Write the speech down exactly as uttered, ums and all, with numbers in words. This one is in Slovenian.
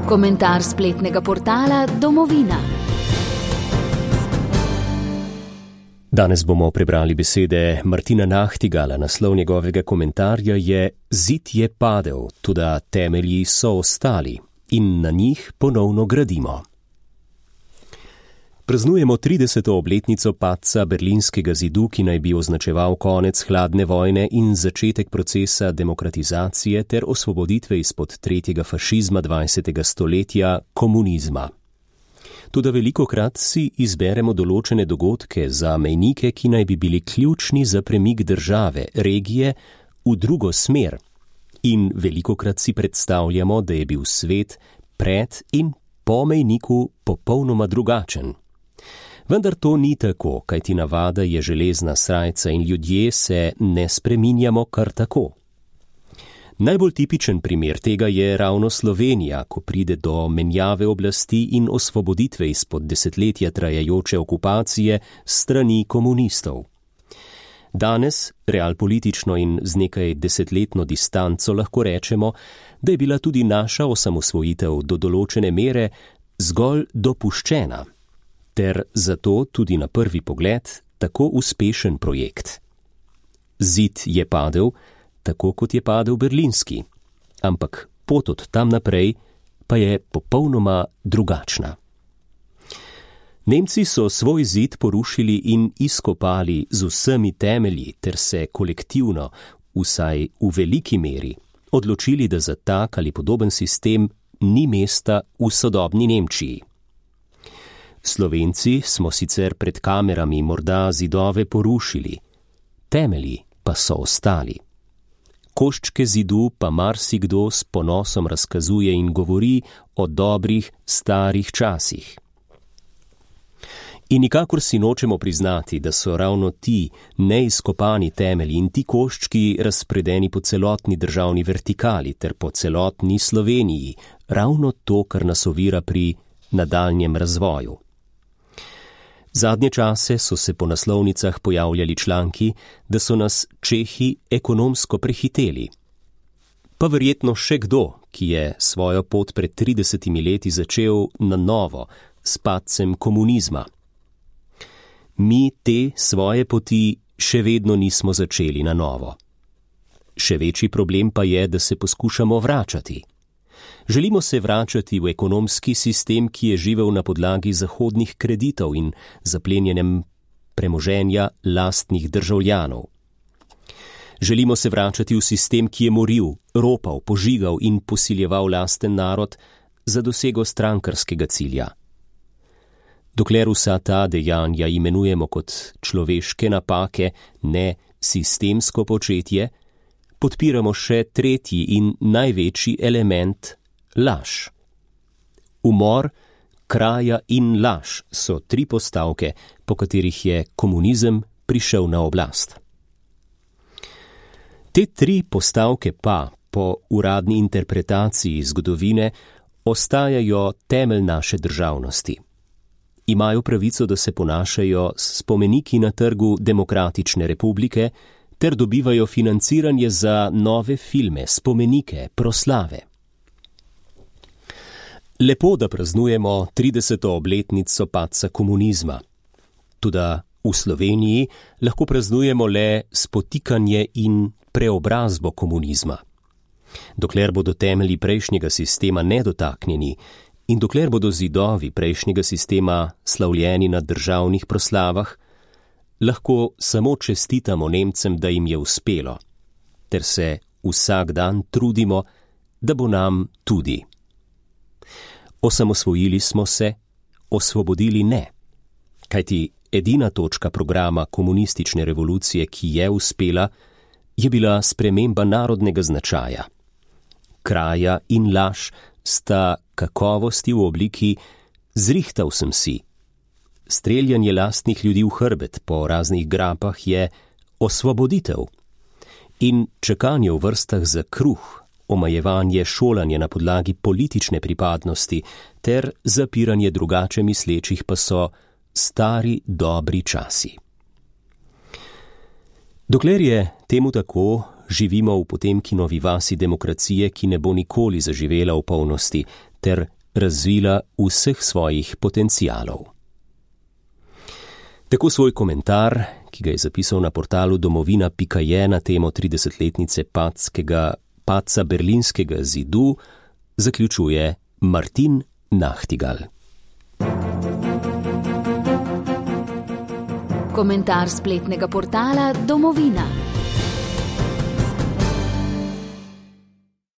Komentar spletnega portala Domovina. Danes bomo prebrali besede Martina Nahtigala. Naslov njegovega komentarja je Zid je padel, toda temelji so ostali in na njih ponovno gradimo. Praznujemo trideseto obletnico padca Berlinskega zidu, ki naj bi označeval konec hladne vojne in začetek procesa demokratizacije ter osvoboditve izpod tretjega fašizma dvajsetega stoletja, komunizma. Toda velikokrat si izberemo določene dogodke za mejnike, ki naj bi bili ključni za premik države, regije, v drugo smer. In velikokrat si predstavljamo, da je bil svet pred in po mejniku popolnoma drugačen. Vendar to ni tako, kajti navada je železna srajca in ljudje se ne spreminjamo kar tako. Najbolj tipičen primer tega je ravno Slovenija, ko pride do menjave oblasti in osvoboditve izpod desetletja trajajoče okupacije strani komunistov. Danes, realpolitično in z nekaj desetletno distanco, lahko rečemo, da je bila tudi naša osamosvojitev do določene mere zgolj dopuščena, ter zato tudi na prvi pogled tako uspešen projekt. Zid je padel, tako kot je padel berlinski, ampak pot od tam naprej pa je popolnoma drugačna. Nemci so svoj zid porušili in izkopali z vsemi temelji ter se kolektivno, vsaj v veliki meri, odločili, da za tak ali podoben sistem ni mesta v sodobni Nemčiji. Slovenci smo sicer pred kamerami morda zidove porušili, temelji pa so ostali. Koščke zidu pa marsikdo s ponosom razkazuje in govori o dobrih, starih časih. In nikakor si nočemo priznati, da so ravno ti neizkopani temelji in ti koščki razpredeni po celotni državni vertikali ter po celotni Sloveniji, ravno to, kar nas ovira pri nadaljnjem razvoju. Zadnje čase so se po naslovnicah pojavljali članki, da so nas Čehi ekonomsko prehiteli. Pa verjetno še kdo, ki je svojo pot pred tridesetimi leti začel na novo, s padcem komunizma. Mi te svoje poti še vedno nismo začeli na novo. Še večji problem pa je, da se poskušamo vračati. Želimo se vračati v ekonomski sistem, ki je živel na podlagi zahodnih kreditov in zaplenjenem premoženja lastnih državljanov. Želimo se vračati v sistem, ki je moril, ropal, požigal in posiljeval lasten narod za dosego strankarskega cilja. Dokler vsa ta dejanja imenujemo kot človeške napake, ne sistemsko početje, podpiramo še tretji in največji element, laž. Umor, kraja in laž so tri postavke, po katerih je komunizem prišel na oblast. Te tri postavke pa, po uradni interpretaciji zgodovine, ostajajo temelj naše državnosti. Imajo pravico, da se ponašajo s spomeniki na trgu Demokratične republike ter dobivajo financiranje za nove filme, spomenike, proslave. Lepo, da praznujemo trideseto obletnico padca komunizma. Toda v Sloveniji lahko praznujemo le spotikanje in preobrazbo komunizma. Dokler bodo temelji prejšnjega sistema nedotaknjeni in dokler bodo zidovi prejšnjega sistema slavljeni na državnih proslavah, lahko samo čestitamo Nemcem, da jim je uspelo, ter se vsak dan trudimo, da bo nam tudi. Osamosvojili smo se, osvobodili ne, kajti edina točka programa komunistične revolucije, ki je uspela, je bila sprememba narodnega značaja. Kraja in laž sta kakovosti v obliki zrihtal sem si. Streljanje lastnih ljudi v hrbet po raznih grapah je osvoboditev. In čakanje v vrstah za kruh, omajevanje šolanja na podlagi politične pripadnosti ter zapiranje drugače mislečih pa so stari dobri časi. Dokler je temu tako, živimo v Potemkinovi vasi demokracije, ki ne bo nikoli zaživela v polnosti, ter razvila vseh svojih potencialov. Tako svoj komentar, ki ga je zapisal na portalu domovina pika je na temo tridesetletnice padskega, padca berlinskega zidu, zaključuje Martin Nachtigal. Komentar spletnega portala Domovina.